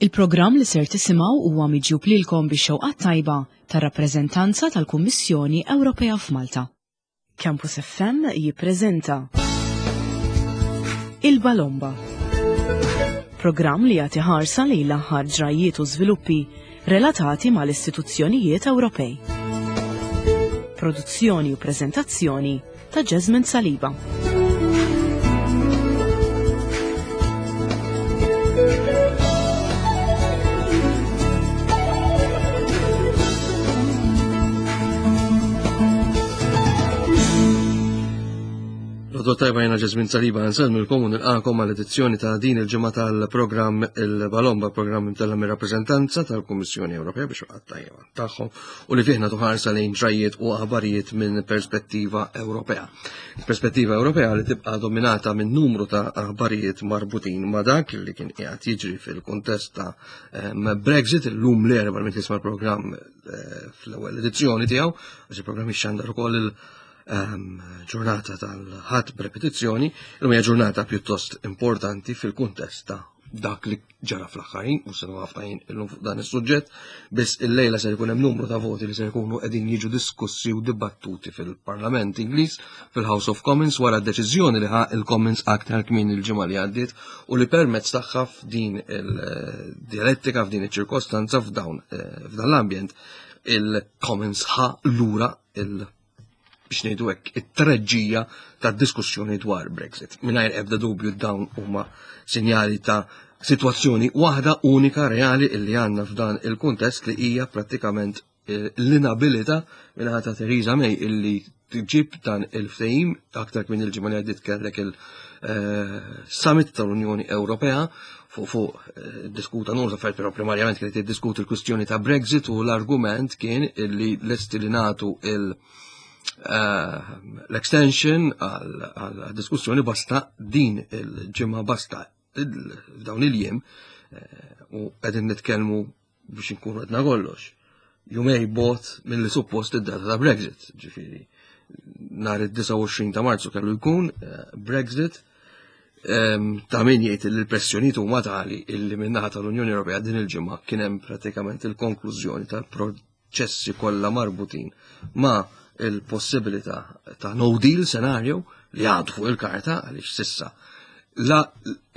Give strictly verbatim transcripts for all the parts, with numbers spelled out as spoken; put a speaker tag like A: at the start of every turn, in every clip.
A: Il-programm li ser tisimgħu huwa miġjub lilkom bix-xewqat tajba tar-rappreżentanza tal-Kummissjoni Ewropea f'Malta. Campus F M jippreżenta Il-Balomba. Programm li jagħti ħarsa lejn l-aħħar ġrajiet u żviluppi relatati mal-istituzzjonijiet Ewropej. Produzzjoni u preżentazzjoni ta' Jasmine Saliba.
B: L-għodwa t-tajba, jiena Jasmine Saliba, nsellmilkom u nilqagħkom għal edizzjoni ta' din il-ġimgħa tal-programm Il-Balomba, programm imtella' mir-rappreżentanza tal-Kummissjoni Ewropea bix-xewqat tajba tagħhom u li fih nagħtu ħarsa lejn ġrajiet u aħbarijiet minn perspettiva Ewropea. Perspettiva Ewropea li tibqa' dominata minn numru ta' aħbarijiet marbutin ma' dak li kien qiegħed jiġri fil-kuntest ta' Brexit. Illum l-Erbgħa, minn tisma' l-programm eh, fl-ewwel edizzjoni tiegħu, għax il-programm ixxandar ukoll il- Ehm, ġurnata tal-Ħadd b'repetizzjoni, illum hija ġurnata pjuttost importanti fil-kuntest ta' dak li ġara fl-aħħar ħin, u se ħafna ħin illum fuq dan is-suġġett, biss illejla ser ikun hemm numru ta' voti li ser ikunu qegħdin jiġu diskussi u dibattuti fil-Parlament Ingliż, fil-House of Commons, wara d-deċiżjoni li ħa il-Commons aktar kmin il-ġimgħa li għaddiet u li permezz tagħha f'din il-dialettika, f'din iċ-ċirkostanza, f'dawn eh, f'dan l-ambjent, il-Commons ħa lura il- biex ngħidu hekk, it-treġġija tad-diskussjoni dwar Brexit. Mingħajr ebda dubju dawn huma sinjali ta' situazzjoni waħda unika reali illi għandna f'dan il-kuntest, li hija prattikament eh, l-inabilità min-naħa ta' Theresa May illi tġib dan il-ftehim. Aktar minn il-ġimgħa li għaddiet kellek il-summit tal-Unjoni Ewropea, fuq fuq eh, diskuta numru ta' affarijiet, però primarjament kienet tiddiskuti l-kwistjoni ta' Brexit u l-argument kien illi lesti li nagħtu il- eh, l-extension għal diskussjoni basta din il-ġimgħa, basta dawn il-jiem, eh, u qegħdin nitkellmu, biex inkunu għedna kollox, jumejn bogħod mill-li suppost id-data ta' Brexit, ġifieri nhar id-disgħa u għoxrin ta' Marzu kellu jkun eh, Brexit. Ta' min jgħid li l-pressjonijiet huma tali illi min-naħa tal-Unjoni Ewropea din il-ġimgħa kien hemm pratikament il-konklużjoni tal-proċessi kollha marbutin ma' il-possibilità ta' no deal scenario li għadu fuq il-karta, għaliex s'issa la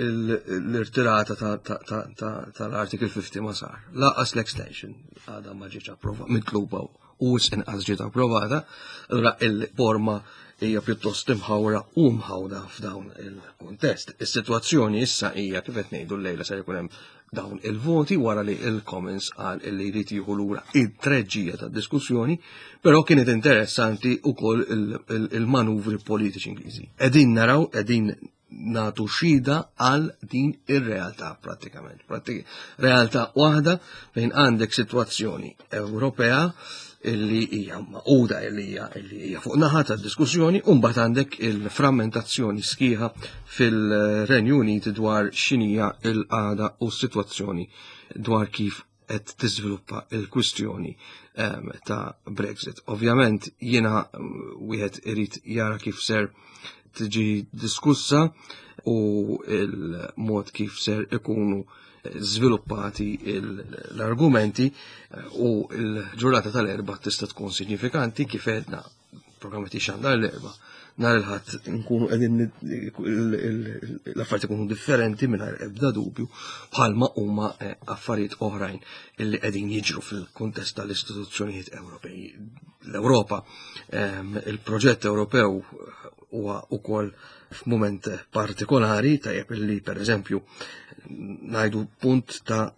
B: l-irtirata tal-Article fifty ma sar, lanqas l-extension għadha ma ġietx approvata, mitluba u inqas ġiet approvata, allura il-forma hija pjuttost imħawra u mħawda f'dawn il-kuntest. Is-sitwazzjoni issa hija, kif qed ngħidu, llejla se jkun hemm dawn il-voti wara li il-Commons qal illi jrid jieħu lura it-treġġija tad-diskussjoni, però kienet interessanti wkoll il-manuvri politiċi Ingliżi. Qegħdin naraw, qegħdin nagħtu xhieda għal din ir-realtà prattikament. Realtà waħda fejn għandek sitwazzjoni Ewropea illi hija magħquda, illi hija illi hija fuq naħa tad-diskussjoni, u mbagħad għandek il-frammentazzjoni sħiħa fil-Renju Unit dwar x'inhija l-qagħda u s-sitwazzjoni dwar kif qed tiżviluppa il-kwistjoni ehm, ta' Brexit. Ovvjament jiena wieħed irid jara kif ser tiġi diskussa u il-mod kif ser ikunu żviluppati l-argumenti, u l-ġurnata tal-Erbgħa tista' tkun signifikanti. Kif għedna, programm xandar l-Erbgħa, nhar il-Ħadd nkunu qegħdin l-affarijiet ikunu differenti mingħajr ebda dubju, bħalma huma eh, affarijiet oħrajn illi qegħdin jiġru fil-kuntest tal-istituzzjonijiet Ewropej. L-Ewropa, ehm, il-proġett Ewropew huwa wkoll f'mument partikolari. Tajjeb illi pereżempju ngħidu punt ta'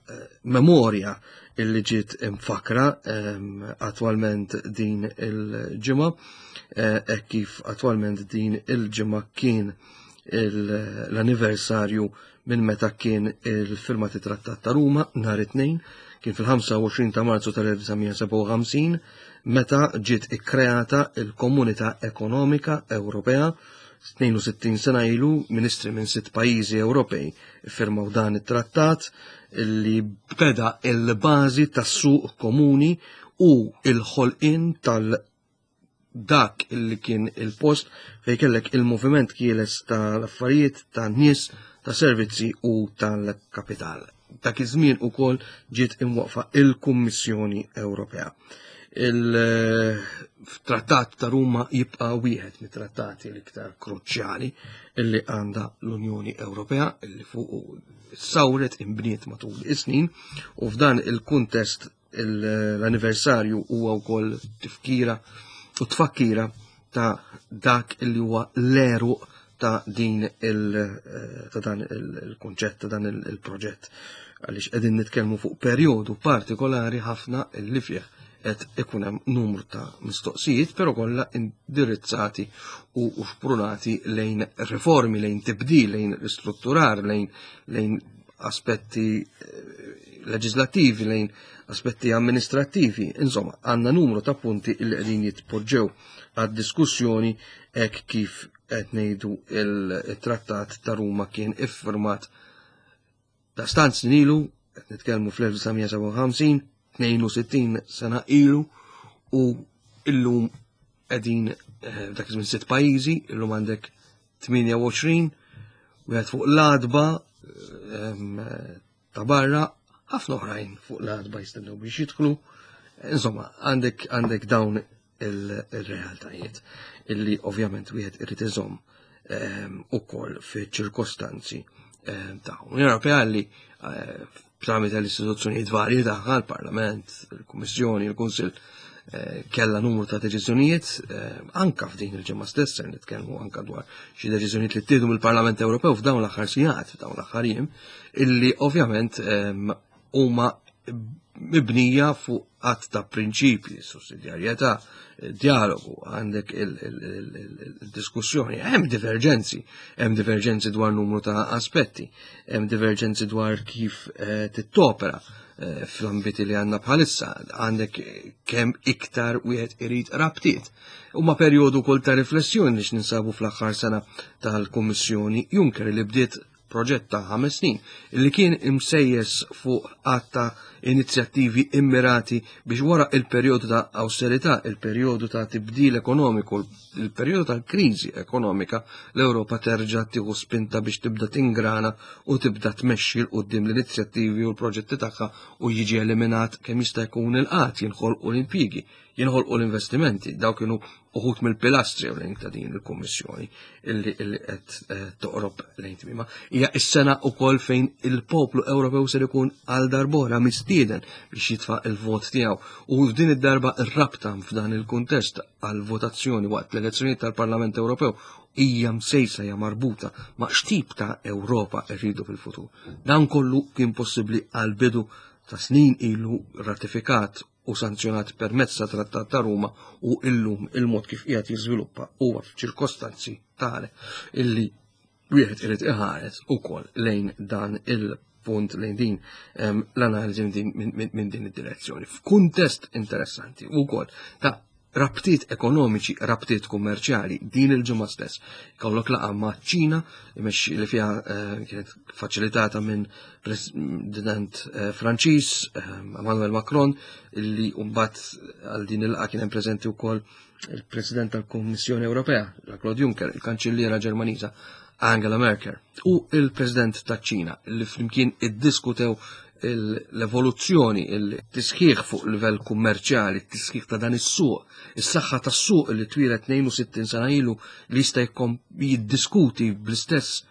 B: memorja illi ġiet imfakra ehm, attwalment din il-ġimgħa, e kif attwalment din il-ġimgħa kien l-anniversarju minn meta kien il-firmat it-Trattat ta' Ruma nhar it-Tnejn, kien fil-ħamsa u għoxrin ta' Marzu tal-elf disa' mija sebgħa u ħamsin meta ġiet ikkreata il-Komunità Ekonomika Ewropea. tnejn u sittin sena ilu ministri minn sitt pajjiżi Ewropej firmaw dan it-trattat li beda il-bażi tas-suq komuni u il-ħolqien tal dak illi kien il-post fej kellek il-moviment ħieles tal-affarijiet, tan-nies, ta' servizzi u tal-kapital. Dak iż-żmien ukoll ġiet imwaqfa il-Kummissjoni Ewropea. Il-Trattat ta' Ruma jibqa' wieħed mit-trattati l-iktar kruċjali illi għandha l-Unjoni Ewropea, illi fuq sawret imbniet matul is-snin, u f'dan il-kuntest l-anniversarju huwa wkoll tifkira u tfakkira ta' dak illi huwa l-għeruq ta' din il ta' dan il-kunċett, ta' dan il-proġett, għaliex qegħdin nitkellmu fuq perjodu partikolari ħafna illi fih qed ikun hemm numru ta' mistoqsijiet, però kollha indirizzati u xprunati lejn riformi, lejn tibdil, lejn ristrutturar, lejn lejn aspetti leġislattivi, lejn aspetti amministrattivi. Insomma, għandna numru ta' punti illi qegħdin jitpoġġew għad-diskussjoni hekk kif qed ngħidu il-Trattat ta' Ruma kien iffirmat ta' stant snin ilu, qed nitkellmu fl-elf disa' mija sebgħa u ħamsin, tnejn u sittin sena ilu, u illum qegħdin, eh, dak iż-żmien sitt pajjiżi, illum għandek tmienja u għoxrin, wieħed fuq l-adba, ehm, ta' barra, ħafna oħrajn fuq l-adba jistennew biex jidħlu. Insomma, għandek, għandek dawn il-, il-realtajiet illi ovvjament wieħed irid iżomm, ehm, ukoll fi ċirkostanzi, ehm, tagħhom. L-Unjoni Ewropea li, eh, tramite l-istituzzjonijiet varji tagħha, il-Parlament, il-Kummissjoni, il-Kunsill, eh, kellha numru ta' deċiżjonijiet, eh, anka f'din il-ġimgħa stess se nitkellmu anka dwar xi deċiżjonijiet li ttieħdu mill-Parlament Ewropew f'dawn l-aħħar sigħat, f'dawn l-aħħar jiem, illi ovvjament, ehm, huma mibnija fuq għadd ta' prinċipji, sussidjarjetà, dialogu, għandek il-, il-, il-, il-, il-diskussjoni, hemm diverġenzi, hemm diverġenzi dwar numru ta' aspetti, hemm diverġenzi dwar kif, eh, tittopera, eh, fl-ambiti li għandna bħalissa, għandek kemm iktar wieħed irid rabtiet. Huma perjodu wkoll ta' riflessjoni biex ninsabu fl-aħħar sena tal-Kummissjoni Juncker li bdiet proġett ta' ħames snin li kien imsejjes fuq għadd ta' inizjattivi immirati biex wara il-perjodu ta' austerità, il-perjodu ta' tibdil ekonomiku, il-perjodu ta' kriżi ekonomika, l-Ewropa terġa' tieħu spinta biex tibda tingrana u tibda tmexxi 'l quddiem l-inizjattivi u l-proġetti tagħha u jiġi eliminat kemm jista' jkun il-qgħad, jinħolqu l-impjiegi, jinħolqu l-investimenti. Dawk kienu uħud mill-pilastri ewlenin ta' din il-Kummissjoni illi, illi qed, eh, toqrob lejn tmiema. Hija s-sena wkoll fejn il-poplu Ewropew ser ikun għal darbora mistieden biex jitfa' il-vot tiegħu, u f'din id-darba r-rabta f'dan il-kuntest għal votazzjoni waqt l-elezzjonijiet tal-Parlament Ewropew hija msejsa, hija marbuta ma' x'tip ta' Ewropa rridu fil-futur. Dan kollu kien possibbli għal bidu ta' snin ilu ratifikat u sanzjonat permezz ta' Trattat ta' Ruma, u illum il-mod kif qiegħed jiżviluppa huwa f'ċirkostanzi tali illi wieħed irid iħares ukoll lejn dan il-punt, lejn din, ehm, l-analiżi minn din, minn, minn, minn din id-direzzjoni. F'kuntest interessanti wkoll ta' rabtiet ekonomiċi, rabtiet kummerċjali, din il-ġimgħa stess. Kollok laqgħa ma' Ċina, imexxi li fiha, eh, kienet faċilitata minn President, eh, Franċiż, eh, Emmanuel Macron, illi mbagħad għal din il-laqgħa kien hemm preżenti wkoll il-President tal-Kummissjoni Ewropea, Jean-Claude Juncker, il-Kanċilliera Ġermaniża Angela Merkel u il-President taċ-Ċina, li flimkien iddiskutew l-evoluzzjoni, il-tisħiħ fuq livell kummerċjali, il-tisħiħ ta' dan is-suq, is-saħħa tas-suq li twieled tnejn u sittin sena ilu li jista' jkun jiddiskuti bl-istess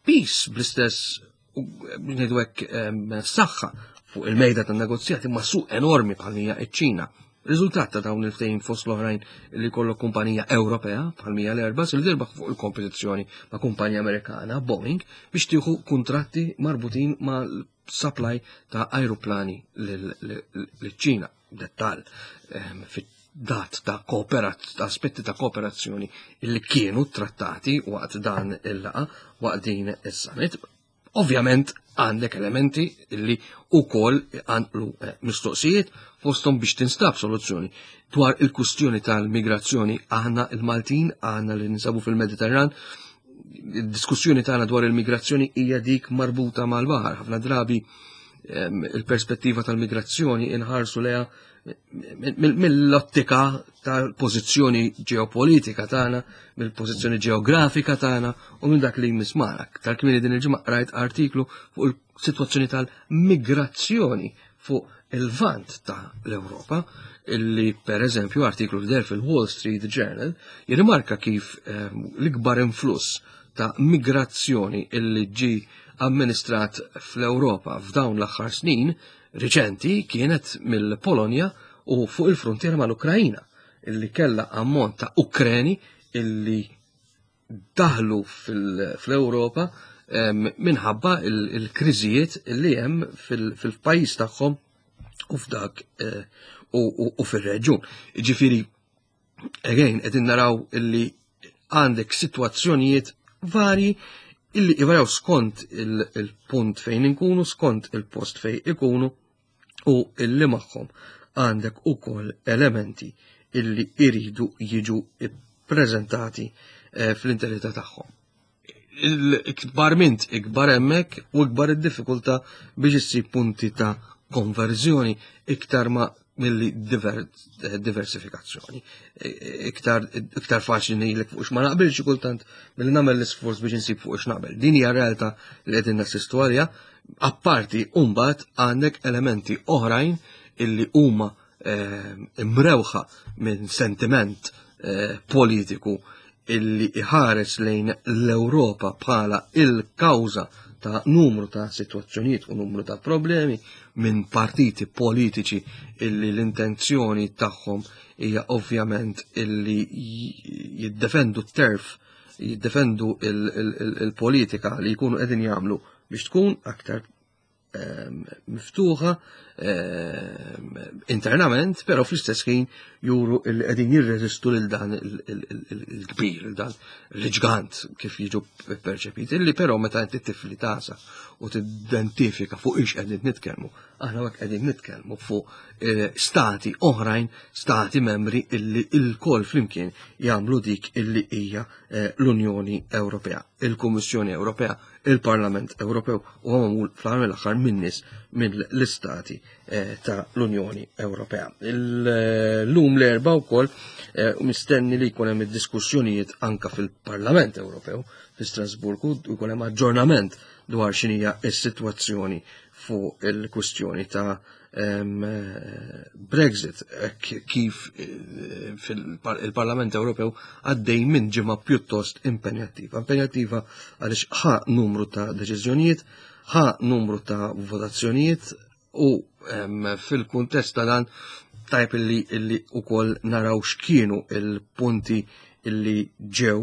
B: pis, bl-istess, ngħidu hekk, ehm, saħħa fuq il-mejda tan-negozjati ma' suq enormi bħal hija ċ-Ċina. Riżultat ta' dawn il-ftehim fost l-oħrajn li jkollok kumpanija Ewropea bħal mija l-Airbus li tirbaħ fuq il-kompetizzjoni ma' kumpanija Amerikana Boeing biex tieħu kuntratti marbutin ma' supply ta' aeroplani lill-Ċina. Dettal, ehm, fit-dat ta' kooperat-, ta' aspetti ta' kooperazzjoni li kienu trattati waqt dan il-laqa, waqt din is-summit. Ovvjament għandek elementi li wkoll għanqlu, eh, mistoqsijiet fosthom biex tinstab soluzzjoni dwar il-kustjoni tal-migrazzjoni. Aħna il-Maltin, aħna li ninsabu fil-Mediterran, id-diskussjoni tagħna dwar il-migrazzjoni hija dik marbuta mal-baħar. Ħafna drabi il-perspettiva tal-migrazzjoni inħarsu leha mill-ottika tal-pożizzjoni ġeopolitika tagħna, mill-pożizzjoni ġeografika tagħna u minn dak li jmiss magħna. Aktar kmieni din il-ġimgħa qrajt artiklu fuq il-sitwazzjoni tal-migrazzjoni fuq il-Lvant ta' l-Ewropa, illi per eżempju artiklu li deher fil-Wall Street Journal jirrimarka kif l-ikbar influss ta' migrazzjoni illi ġi amministrat fl-Ewropa f'dawn l-aħħar snin riċenti kienet mill-Polonja u fuq il-frontiera mal-Ukrajina, illi kella ammont ta' Ukreni illi daħlu fl-Ewropa minħabba il-kriżijiet illi hemm fil-pajjiż tagħhom u f'dak u fir-reġjun. Ġifieri, again, qegħdin naraw illi għandek sitwazzjonijiet varji illi ivarjaw skont il-punt fejn inkunu, skont il-post fejn ikunu, u illi magħhom għandek ukoll elementi illi iridu jiġu ippreżentati fl-interità tagħhom. Il-ikbar mint ikbar hemmhekk u ikbar id-diffikultà biex issib punti ta' konverżjoni iktar ma milli diversifikazzjoni. Iktar, iktar faċli ngħidlek fuq x'ma naqbilx kultant milli nagħmel l-isforz biex insib fuq x'naqbel. Din hija realtà li qegħdin nassistu għaliha. Apparti mbagħad għandek elementi oħrajn illi huma imrewħa minn sentiment politiku illi iħares lejn l-Ewropa bħala il-kawża ta' numru ta' situazzjonijiet u numru ta' problemi minn partiti politiċi illi l-intenzjoni tagħhom hija ovvjament illi jiddefendu t-turf, jiddefendu il-politika li jkunu qegħdin jagħmlu biex tkun aktar miftuħa internament, però fl-istess ħin juru illi qegħdin jirreżistu lil dan il-kbir, lil dan l-ġgant kif jiġu perċepiti, illi però meta inti tifli tasa u tidentifika fuq ix qegħdin nitkellmu, aħna hekk qegħdin nitkellmu fuq stati oħrajn, stati membri illi l-kol flimkien jagħmlu dik illi hija l-Unjoni Ewropea, il-Kummissjoni Ewropea, il-Parlament Ewropew u magħmul fl-aħħar mill-aħħar minn nies mill-istati ta' l-Unjoni Ewropea. L-lum l-erba wkoll mistenni li jkun hemm id-diskussjonijiet anka fil-Parlament Ewropew fi Strasburgu u jkun hemm aġġornament dwar x'inhija s-sitwazzjoni fuq il-kwistjoni ta' Brexit, kif il-Parlament Ewropew għaddej minn ġimgħa pjuttost impenjattiva. Impenjattiva għaliex ħa numru ta' deċiżjonijiet, ħa numru ta' votazzjonijiet u fil-kuntest ta' dan tajb illi illi ukoll naraw x'kienu il-punti illi ġew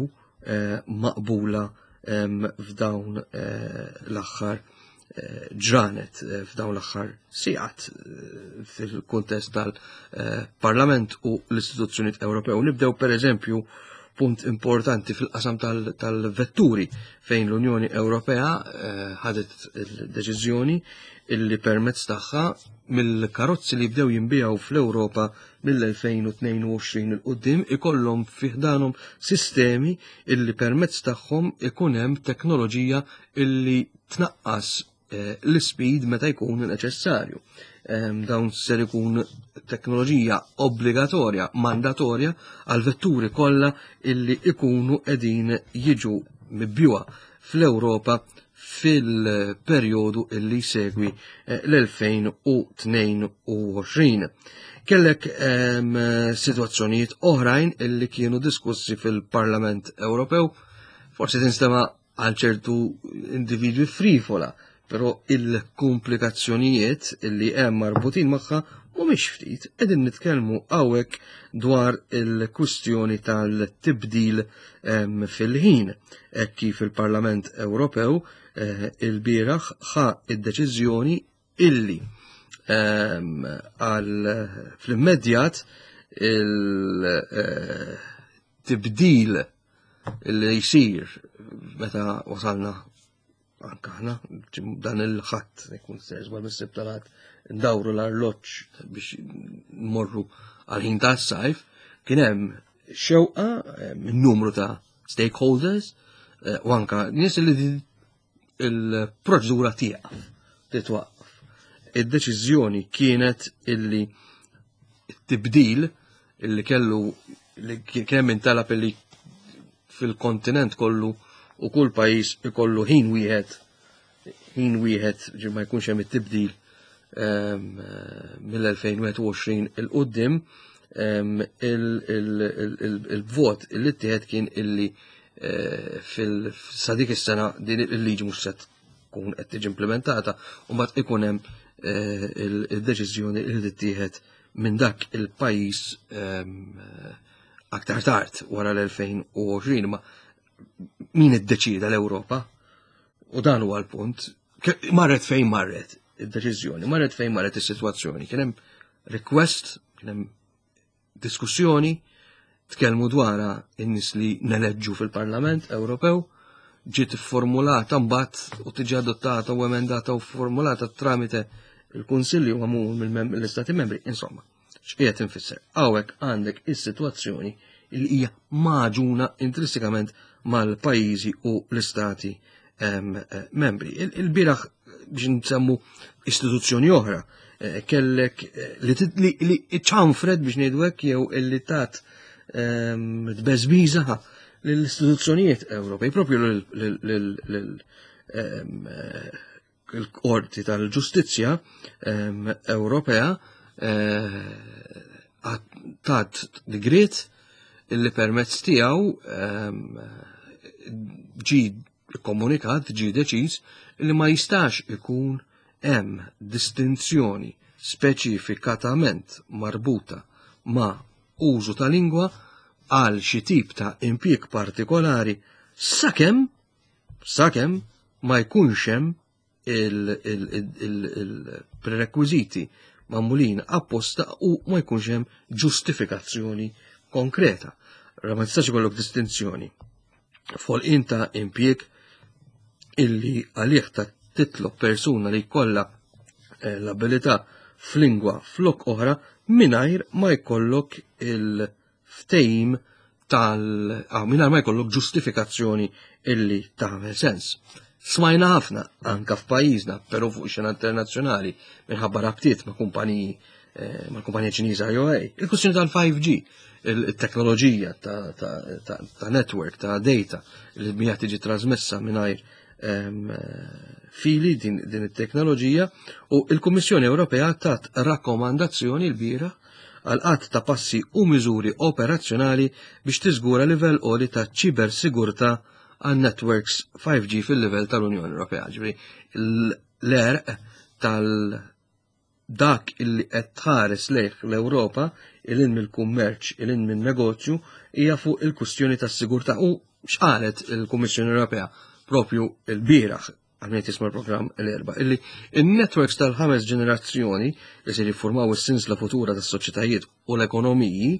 B: maqbula f'dawn l-aħħar ġranet, f'dawn l-aħħar sigħat fil-kuntest tal-Parlament u l-istituzzjonijiet Ewropew. Nibdew per eżempju punt importanti fil-qasam tal-vetturi fejn l-Unjoni Ewropea ħadet il-deċiżjoni illi permezz tagħha mill-karozzi li bdew jinbiegħu fl-Ewropa mill-elfejn u tnejn u għoxrin il quddiem ikollhom fiħdanhom sistemi illi permezz tagħhom ikun hemm teknoloġija illi tnaqqas l-speed meta jkun neċessarju. Dawn ser ikun teknoloġija obbligatorja, mandatorja għal vetturi kollha illi ikunu qegħdin jiġu mibjuha fl-Ewropa fil-perjodu illi segwi l-elfejn u tnejn u għoxrin. Kellek sitwazzjonijiet oħrajn illi kienu diskussi fil-Parlament Ewropew, forsi tinstema' għal ċertu individwi frivola, però il-komplikazzjonijiet illi hemm marbutin magħha mhumiex ftit. Qegħdin nitkellmu hawnhekk dwar il-kwistjoni tal-tibdil fil-ħin, hekk kif il-Parlament Ewropew il-bieraħ ħa id-deċiżjoni illi għal fl-immedjat il-tibdil li jsir meta wasalna anka aħna dan il-ħadd ikun ser żball mis-Sibt tal-Ħadd ndawru l-arloġġ biex nmorru għal-ħin tas-sajf, kien hemm xewqa minn numru ta' stakeholders u anka nies li il-proċedura tieqaf, titwaqqaf. Id-deċiżjoni kienet illi t-tibdil illi kellu li kien hemm intalab illi fil-kontinent kollu u kull pajjiż ikollu ħin wieħed ħin wieħed ġi ma jkunx hemm it-tibdil ehm, mill-elfejn u wieħed u għoxrin 'il quddiem, ehm, il-vot illi ttieħed kien illi eh, fil-sa dik is-sena din il-liġi mhux se tkun qed tiġi implementata u mbagħad ikun hemm eh, il-deċiżjoni li tittieħed minn dak il-pajjiż ehm, aktar tard wara l-elfejn u għoxrin. Ma min iddeċida? L-Ewropa? U dan huwa l-punt. Marret fejn marret id-deċiżjoni, marret fejn marret is-sitwazzjoni. Kien hemm request, kien hemm diskussjoni, tkellmu dwarha in-nies li neleġġu fil-Parlament Ewropew, ġiet formulata mbagħad u tiġi adottata u emendata u formulata tramite il-Kunsilli u għamul mill-Istati Membri. Insomma, x'qiegħed infisser? Hawnhekk għandek is-sitwazzjoni li hija maġuna intrinsikament mal-pajjiżi u l-istati em, eh, membri. Il-bieraħ biex nsemmu istituzzjoni oħra, eh, kellek, eh, li li ċanfret biex ngħidu hekk jew illi tat ehm, tbeżbiża lill-istituzzjonijiet Ewropej, propju l-Qorti tal-Ġustizzja ehm, Ewropea tat digriet illi permezz tiegħu ehm, ġi komunikat, ġi deċiż li ma jistax ikun hemm distinzjoni speċifikatament marbuta ma' użu ta' lingwa għal xi tip ta' impjieg partikolari sakemm sakemm ma jkunx hemm il-prerekwiżiti magħmulin apposta u ma jkunx hemm ġustifikazzjoni konkreta. Ra ma tistax ikollok distinzjoni f'ħolqien ta' impjieg illi għalih ta' titlob persuna li jkollha, eh, l-abilità f'lingwa flok oħra mingħajr ma jkollok il-ftehim tal ah, mingħajr ma jkollok ġustifikazzjoni illi tagħmel sens. Smajna ħafna anka f'pajjiżna, però fuq xena internazzjonali minħabba rabtiet ma' kumpaniji, eh, ma' kumpanija Ċiniża I O A. Il-kwistjoni tal-five G, il-teknoloġija ta', ta', ta', ta' network, ta' data li mija tiġi trasmessa mingħajr, ehm, fili din, din it-teknoloġija, u il-Kummissjoni Ewropea tat rakkomandazzjoni l-bira għal qatt ta' passi u miżuri operazzjonali biex tiżgura livell għoli ta' ċibersigurtà għal networks five G fil-livell tal-Unjoni Ewropea. Ġifieri l-erq tal dak illi qed tħares lejh l-Ewropa ilin mill-kummerċ, ilin min-negozju, hija fuq il-kwistjoni tas-sigurtà. U x'qalet il-Kummissjoni Ewropea propju l-bieraħ għal min jisma' l-programm l-erba', illi in-networks tal-ħames ġenerazzjoni li se jiffurmaw is-sinsla futura tas-soċjetajiet u l-ekonomiji,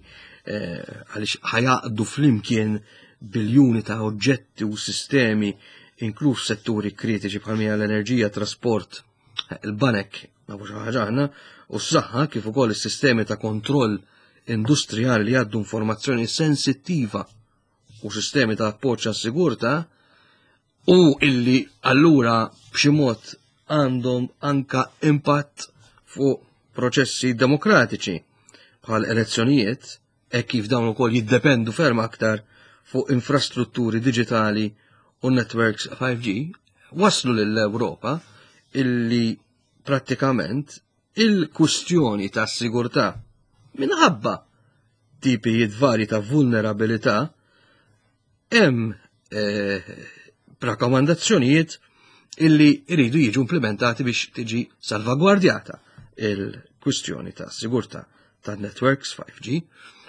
B: eh, għaliex ħajaqdu flimkien biljuni ta' oġġetti u sistemi, inkluż setturi kritiċi bħal mija l-enerġija, trasport, il-banek, nafu xi ħaġa aħna, u s-saħħa, kif ukoll is-sistemi ta' kontroll industrijali li jgħaddu informazzjoni sensittiva u sistemi ta' appoġġ għas-sigurtà, u illi allura b'xi mod għandhom anka impatt fuq proċessi demokratiċi bħal elezzjonijiet, e kif dawn ukoll jiddependu ferm aktar fuq infrastrutturi diġitali u networks five G, waslu lill-Ewropa illi prattikament il-kustjoni ta' sigurtà minħabba tipijiet vari ta' vulnerabilità hemm, eh, rakkomandazzjonijiet illi jridu jiġu implementati biex tiġi salvagwardjata il-kwistjoni ta' sigurtà ta' networks five G.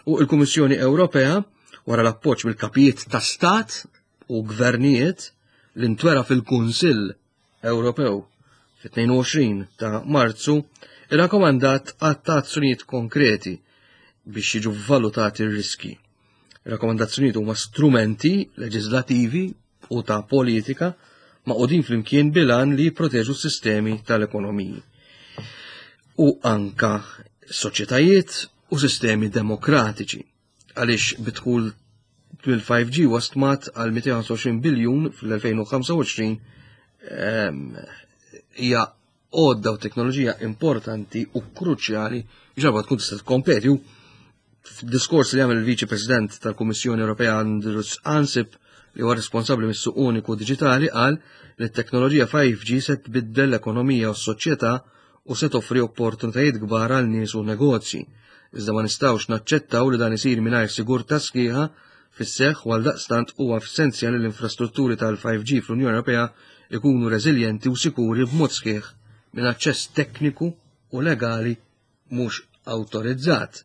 B: U il-Kummissjoni Ewropea, wara l-appoġġ mill-kapijiet ta' stat u gvernijiet li ntwera fil-Kunsill Ewropew fit-tnejn u għoxrin ta' Marzu, irrakkomandat għadd ta' azzjonijiet konkreti biex jiġu valutati r-riski. Rakkomandazzjonijiet huma strumenti leġislativi u ta' politika maqudin flimkien bilan li jipproteġu s-sistemi tal-ekonomiji u anka soċjetajiet u sistemi demokratiċi, għaliex bidħul bil-five G wastmat għal mitejn u ħamsa u għoxrin biljun fl-elfejn u ħamsa u għoxrin, ehm, hija għodda u teknoloġija importanti u kruċjali biex darba tkun tista' tkompeti. U f'diskors li għamel il-Viċi President tal-Kummissjoni Ewropea Andrus Ansip, li huwa responsabbli mis-suq uniku diġitali, qal li t-teknoloġija five G se tbiddel l-ekonomija u s-soċjetà u se toffri opportunitajiet kbar għal nies u negozji. Iżda ma nistgħux naċċettaw li dan isir mingħajr sigurtà sħiħa fis-seħħ u għaldaqstant huwa essenzjali l-infrastrutturi tal-five G fl-Unjoni Ewropea ikunu reżiljenti u sikuri b'mod sħiħ minn aċċess tekniku u legali mhux awtorizzat.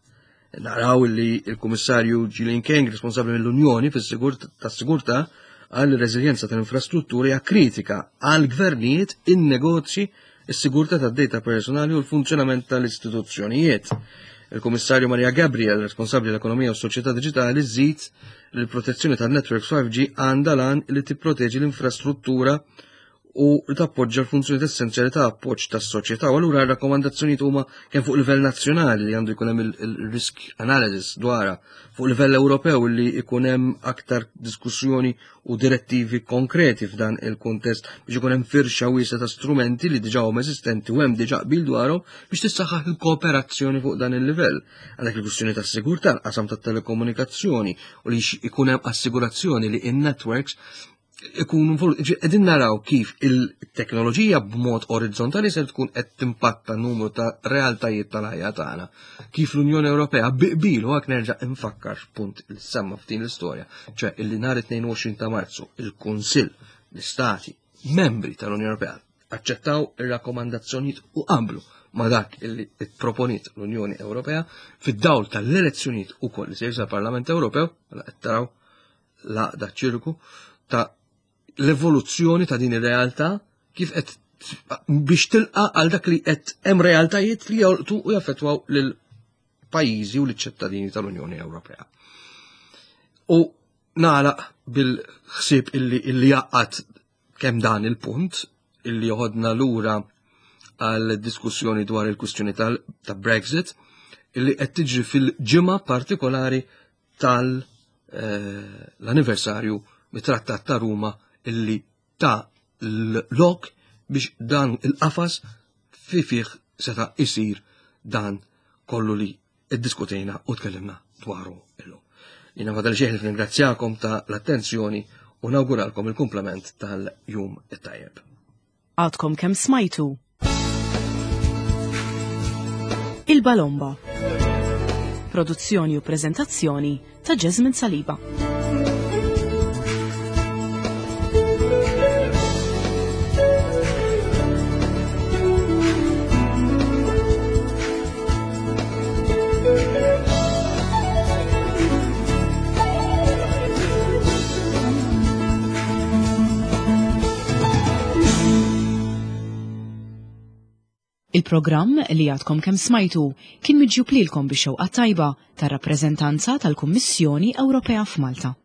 B: Naraw li il-Kummissarju Gillian King, responsabbli mill-Unjoni tas-sigurtà, għal reżiljenza tal-infrastrutturi hija kritika għal gvernijiet, in-negozji, is-sigurtà tad-data personali u l-funzjonament tal-istituzzjonijiet. Il-Kummissarju Maria Gabriel, responsabbli l-ekonomija u s-soċjetà diġitali, żid li l-protezzjoni tan-networks five G għandha l-għan li tipproteġi l-infrastruttura u li tappoġġa l-funzjoni essenzjali ta' appoġġ tas-soċjetà. U allura r-rakkomandazzjonijiet huma kemm fuq livell nazzjonali li għandu jkun hemm il-risk analysis dwarha, fuq livell Ewropew li jkun hemm aktar diskussjoni u direttivi konkreti f'dan il-kuntest biex ikun hemm firxa wiesgħa ta' strumenti li diġà huma eżistenti u hemm diġà qbil dwarhom biex tissaħħaħ il-kooperazzjoni fuq dan il-livell. Għandek il-kwistjoni tas-sigurtà, l-qasam tat-telekomunikazzjoni u li jkun hemm assigurazzjoni li in-networks ikunu qegħdin naraw kif il-teknoloġija b'mod orizzontali se tkun qed timpatta numru ta' realtajiet tal-ħajja tagħna. Kif l-Unjoni Ewropea bi qbil, u hekk nerġa' infakkar punt li semma f'din l-istorja, ċe illi nhar it-tnejn u għoxrin ta' Marzu il-Kunsill, l-Istati membri tal-Unjoni Ewropea aċċettaw ir-rakkomandazzjonijiet u qablu ma dak illi proponiet l-Unjoni Ewropea fid-dawl tal-elezzjonijiet ukoll li se jsir Parlament Ewropew, mela qed taraw l-għaqda ċirku ta' l-evoluzzjoni ta' din ir-realtà kif qed biex tilqa għal dak li qed hemm realtajiet li jolqtu u jaffettwaw lil pajjiżi u liċ-ċittadini tal-Unjoni Ewropea. U nagħlaq bil-ħsieb illi illi jaqgħad kemm dan il-punt illi joħodna lura għal diskussjoni dwar il-kwistjoni ta' Brexit illi qed tiġri fil-ġimgħa partikolari tal-anniversarju eh, mit-Trattat ta' Ruma illi ta l-lok biex dan il-qafas fi fih seta' isir dan kollu li iddiskutejna u tkellimna dwaru illum. Jiena fadal xieħ ringrazzjakom ta' l-attenzjoni u nawguralkom il-kumplament tal-jum it-tajjeb.
A: Għadkom kemm smajtu Il-Balomba. Produzzjoni u prezentazzjoni ta' Jasmine Saliba. Il-programm li għadkom kemm smajtu kien miġjub lilkom bix-xewqa tajba tar-rappreżentanza tal-Kummissjoni Ewropea f'Malta.